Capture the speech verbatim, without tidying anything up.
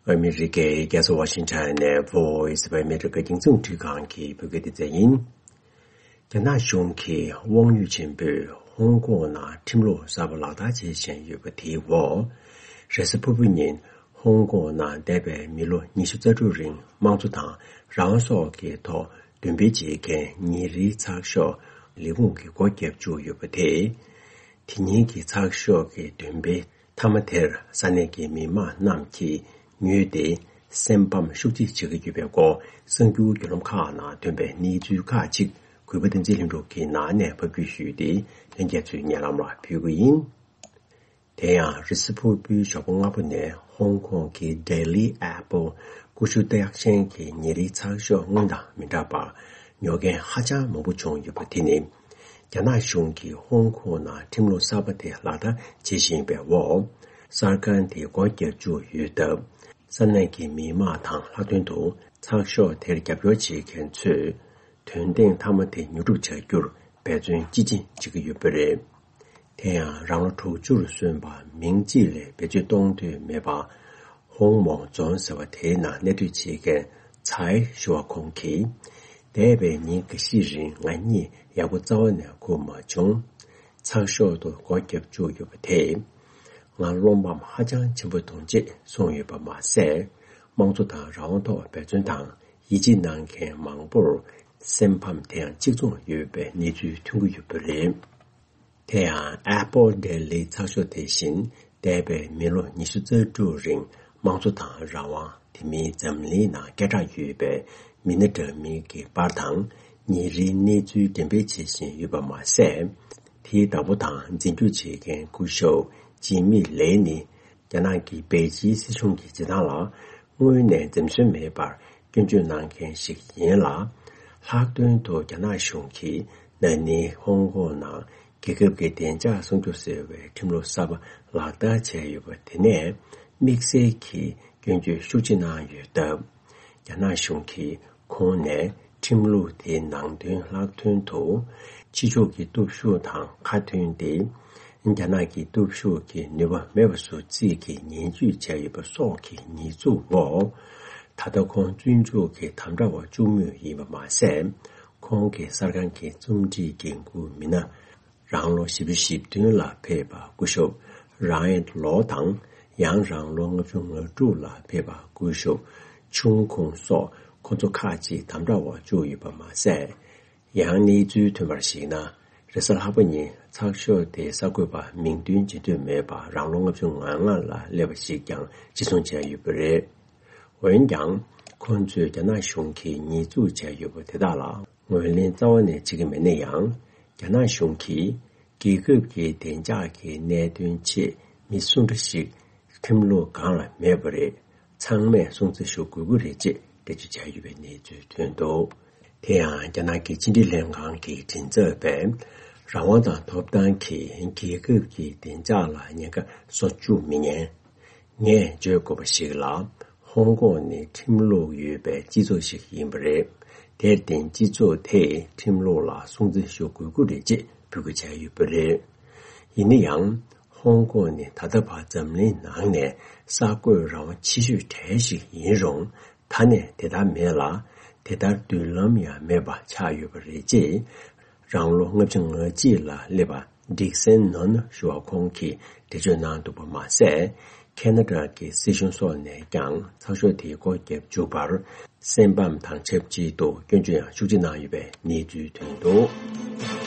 ཨ་མི་རི་ཀའི་རྒྱལ་ས་ཝ་ཤིང་ཊོན་ནས་Voice of America རྒྱང་སྲིང་འཕྲིན་ཁང་གི་བོད་སྐད་སྡེ་ཚན་ཡིན། རྒྱ་ནག་གཞུང་གིས་དབང་ཡོད་ཆེན་པོས་ཧོང་ཀོང་ནང་ཁྲིམས་ལུགས་གསར་པ་ལག་བསྟར་བྱེད་བཞིན་ཡོད་པ་དེའི་འོག་རེས་གཟའ་ཕུར་བུ་ཉིན་ཧོང་ཀོང་ནང་འདས་པའི་མི་ལོ་ཉི་ཤུ་རྩ་དྲུག་རིང་དམངས་གཙོ་དང་རང་དབང་སོགས་ཀྱི་ཐོག་འདོན་སྤེལ་བྱེད་མཁན་ཉིན་རེའི་ཚགས་ཤོག་ལས་ཁུངས་ཀྱིས་སྒོ་བརྒྱབ་བཅུག་ཡོད་པ་དེས། དེ་ཉིན་གྱི་ཚགས་ཤོག་གི་འདོན་སྤེལ་མཐའ་མ་དེར་ས་གནས་ཀྱི་མི་མང་རྣམས་ཀྱིས་ཉུལ་ཏེ་སེམས་ཕམ་ཤུགས་ཆེ་བྱེད་ཀྱི་ཡོད་པའི་སྐོར་གསར་འགྱུར་བརྒྱུད་ལམ་ཁག་ནང་ཐོན་པའི་གནས་ཚུལ་ཁག་ཅིག་གུས་པ་བསྟན་འཛིན་ལྷུན་གྲུབ་ཀྱིས་ནང་ནས་ཕབ་སྒྱུར་ཞུས་ཏེ་ལྷན་རྒྱས་ཚོའི་སྙན་ལམ་ལ་ཕུལ་གྱི་ཡིན། དེ་ཡང་རེས་གཟའ་ཕུར་བུའི་ཞོགས་པ་སྔ་པོ་ནས་ཧོང་ཀོང་གི་Daily Apple ཀུ་ཤུ་རྟགས་ཅན་གྱི་ཉིན་རེའི་ཚགས་ཤོག་སྔོན་དང་མི་འདྲ་བར་ཉོ་མཁན་ཧ་ཅང་མང་པོ་བྱུང་ཡོད་པ་དེ་ནི། རྒྱ་ནག་གཞུང་གིས་ཧོང་ཀོང་ནང་ཁྲིམས་ལུགས་གསར་པ་དེ་ལག་བསྟར་བྱེད་བཞིན་པའི་འོག་གསར་ཁང་དེ་སྒོ་བརྒྱབ་བཅུག་ཡོད་སྟབས། ས་གནས་ཀྱི་མི་མང་དང་ལྷག་དོན་དུ་ཚགས་ཤོག་དེར་རྒྱབ་སྐྱོར་བྱེད་མཁན་ཚོས། དོན་ཐེངས་མཐའ་མ་དེ་ཉོ་སྒྲུབ་བྱ་རྒྱུར་འབད་བརྩོན་ཅི་ཆེ་བྱེད་ཀྱི་ཡོད་པ་རེད། དེ་ཡང་རང་ལོ་དྲུག་ཅུར་སོན་པ་མིང་ཅིག་ལས་བེད་སྤྱོད་གཏོང་འདོད་མེད་པ། ཧོང་མོང་རྫོང་ཟེར་བ་དེའི་ནང་གནས་སྡོད་བྱེད་མཁན་ཚའེ་ཞུ་བ་ཁོང་གིས། འདས་པའི་ཉིན་འགའ་ཤས་རིང་ང་གཉིད་ཡག་པོ་རྩ་བ་ནས་ཁུག་མ་བྱུང་། ཚགས་ཤོག་ཏུ་སྒོ་བརྒྱབ་བཅུག་ཡོད་པ་དེས། ང་བློ་ཕམ་ཧ་ཅང་ཆེན་པོ་དང་བཅས་སོང་ཡོད་པ་མ་ཟད། དམངས་གཙོ་དང་རང་དབང་ཐོག་འབད་བརྩོན་དང་ཡིད་ཆེས་གནང་མཁན་མང་པོར་སེམས་ཕམ་དེ་ཡང་གཅིག་མཚུངས་ཡོད་པའི་གནས་ཚུལ་ཐོན་གྱི་ཡོད་པ་རེད། དེ་ཡང་Apple Daily ཚགས་ཤོག་དེ་བཞིན་འདས་པའི་མི་ལོ་ཉི་ཤུ་རྩ་དྲུག་རིང་དམངས་གཙོ་དང་རང་དབང་དེ་མིན་འཛམ་གླིང་ནང་སྐད་གྲགས་ཡོད་པའི་མི་སྣ་འདྲ་མིན་གྱི་པར་དང་ཉིན་རེའི་གནས་ཚུལ་འགྲེམས་སྤེལ་བྱེད་བཞིན་ཡོད་པ་མ་ཟད། དེའི་བདག་པོ་དང་འཛིན་སྐྱོང་བྱེད་མཁན་སྐུ་ཞབས་ཇི་མི་ལེ་ནི། རྒྱ་ནག་གི་པེ་ཅིན་སྲིད་གཞུང་གི་བྱེད་སྟངས་ལ་དངོས་གནས་འཛེམ་ཟོན་མེད་པར་སྐྱོན་བརྗོད་གནང་མཁན་ཞིག་ཡིན་ལ། ལྷག་དོན་དུ་རྒྱ་ནག་གཞུང་གིས་ན་ནིང་ཧོང་ཀོང་ནང་རྒྱལ་ཁབ་ཀྱི་བདེ་འཇགས་སྲུང་སྐྱོབ་ཟེར་བའི་ཁྲིམས་ལུགས་གསར་པ་ལག་བསྟར་བྱས་ཡོད་པ་དེ་ནས་དམིགས་བསལ་གྱིས་སྐྱོན་བརྗོད་ཤུགས་ཆེ་གནང་ཡོད་སྟབས། རྒྱ་ནག་གཞུང་གིས་ཁོང་ནས་ཁྲིམས་ལུགས་དེའི་ནང་དོན་ལྷག་དོན་དུ་ཕྱི་ཕྱོགས་ཀྱི་སྟོབས་ཤུགས་དང་ཁ་མཐུན་ཏེ། རྒྱ་ནག་གི་སྟོབས་ཤུགས་ཀྱི་ནུས་པ་མེད་པ་བཟོ་རྩིས་ཀྱི་ངན་ཇུས་བྱས་ཡོད་པ་སོགས་ཀྱི་ཉེས་འཛུགས་འོག་ད་ལྟ་ཁོང་བཙོན་འཇུག་གི་དམ་དྲག་འོག་བཅུག་མུས་ཡིན་པ་མ་ཟད། ཁོང་གི་གསར་ཁང་གི་རྩོམ་སྒྲིག་འགན་འཁུར་མི་སྣ། རང་ལོ་བཞི་བཅུ་ཞེ་བདུན་ལ་ཕེབས་པ་སྐུ་ཞབས་རང་ཨེན་ལོ་དང་། ཡང་རང་ལོ་ལྔ་བཅུ་ང་དྲུག་ལ་ཕེབས་པ་སྐུ་ཞབས་ཆུང་ཁུང་སོགས་ཁོ་ཚོ་ཁག་ཅིག་དམ་དྲག་འོག་བཅུག་ཡོད་པ་མ་ཟད། ཡང་གནས་ཚུལ་ཐོན་པར་གཞིགས་ན། རེས་གཟའ་ལྷག་པ་ཉིན་ཚགས་ཤོག་དེའི་གསར་འགོད་པ་མིང་འདོན་བྱེད་འདོད་མེད་པ་རང་ལོ་ལྔ་བཅུ་ང་ལྔ་ལ་སླེབས་པ་ཞིག་ཀྱང་འཆི་སོང་བྱས་ཡོད་པ་རེད། འོན་ཀྱང་། ཁོང་ཚོས་རྒྱ་ནག་གཞུང་གིས་ཉེས་འཛུགས་བྱས་ཡོད་པ་དེ་དག་ལ་ངོས་ལེན་རྩ་བ་ནས་བྱེད་ཀྱི་མེད་ན་ཡང་། རྒྱ་ནག་གཞུང་གིས་རྒྱལ་ཁབ་ཀྱི་བདེ་འཇགས་ཀྱི་གནད་དོན་ཆེད་མི་སུ་འདྲ་ཞིག་ཁྲིམས་ལུགས་སྒང་ལ་མེད་པ་རེད། ཚང་མས་སྲུང་བརྩི་ཞུ་དགོས་ཀྱི་རེད་ཅེས་འགྲེལ་བརྗོད་བྱས་ཡོད་པའི་གནས་ཚུལ་ཐོན་འདུག་དེ་ཡང་རྒྱ་ནག་གི་ཕྱི་འབྲེལ་ལྷན་ཁང་གི་མགྲིན་ཚབ་པས། རང་དབང་དང་ཐོབ་ཐང་གིས་རྒྱལ་ཁབ་ཀྱི་བདེ་འཇགས་ལ་ཉེན་ཁ་བཟོ་བཅུག་མི་ཉན། ངས་བརྗོད་དགོས་པ་ཞིག་ལ། ཧོང་ཀོང་ནི་ཁྲིམས་ལུགས་ཡོད་པའི་སྤྱི་ཚོགས་ཤིག་ཡིན་པ་རེད། དེར་བརྟེན་སྤྱི་ཚོགས་དེས་ཁྲིམས་ལུགས་ལ་སྲུང་བརྩི་ཞུ་དགོས་ཀྱི་རེད་ཅེས་འབོད་སྐུལ་བྱས་ཡོད་པ་རེད། ཡིན་ན་ཡང་། ཧོང་ཀོང་ནི་ད་ལྟ་བར་འཛམ་གླིང་ནང་ནས་གསར་འགོད་རང་དབང་ཆེ་ཤོས་གྲས་ཤིག་ཡིན་རུང་། ད་ནས་དེ་ལྟར་མེད་ལ། དེ་ལྟར་མདུན་ལམ་ཡང་མེད་པ་ཆགས་ཡོད་པ་རེད་ཅེས། རང་ལོ་ལྔ་བཅུ་ང་གཅིག་ལ་སླེབས་པ་ཌིག་སན་ནོན་ཞུ་བ་ཁོང་གིས་འགྲེལ་བརྗོད་གནང་འདུག་པ་མ་ཟད། ཁེ་ན་ཌ་གི་སྲིད་གཞུང་སོགས་ནས་ཀྱང་ཚགས་ཤོག་དེའི་སྒོ་བརྒྱབ་འཇུག་པར་སེམས་ཕམ་དང་ཆབས་ཅིག་ཏུ་སྐྱོན་བརྗོད་ཡང་ཤུགས་ཆེ་གནང་ཡོད་པའི་གནས་ཚུལ་ཐོན་འདུག